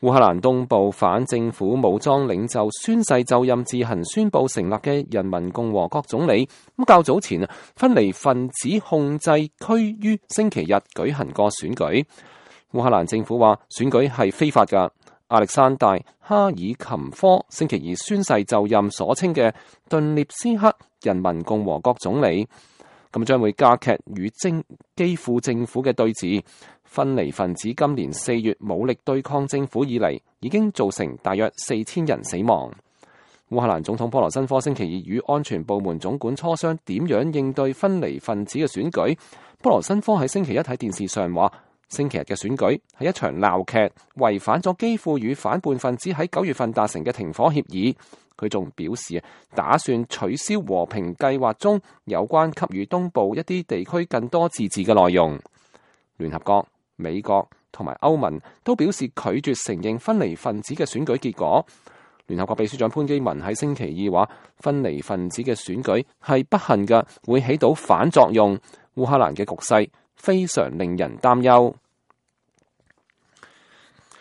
烏克蘭東部反政府武裝領袖宣誓就任自行宣布成立嘅人民共和國總理，較早前分離分子控制區於星期日舉行過選舉。烏克蘭政府話選舉係非法㗎。亞歷山大·哈爾琴科星期二宣誓就任所稱嘅頓涅斯克人民共和國總理，咁將會加劇與基輔政府嘅對峙。分離分子今年4月武力對抗政府以嚟，已經造成大約4000人死亡。烏克蘭總統波羅申科星期二與安全部門總管磋商點樣應對分離分子嘅選舉。波羅申科喺星期一喺電視上話，星期日嘅選舉係一場鬧劇，違反咗基輔與反叛分子喺9月份達成嘅停火協議。佢仲表示打算取消和平計劃中有關給予東部一啲地區更多自治嘅內容。聯合國、美國同埋歐盟都表示拒絕承認分離分子嘅選舉結果。聯合國秘書長潘基文喺星期二話，分離分子嘅選舉係不幸嘅，會起到反作用。烏克蘭嘅局勢非常令人擔憂。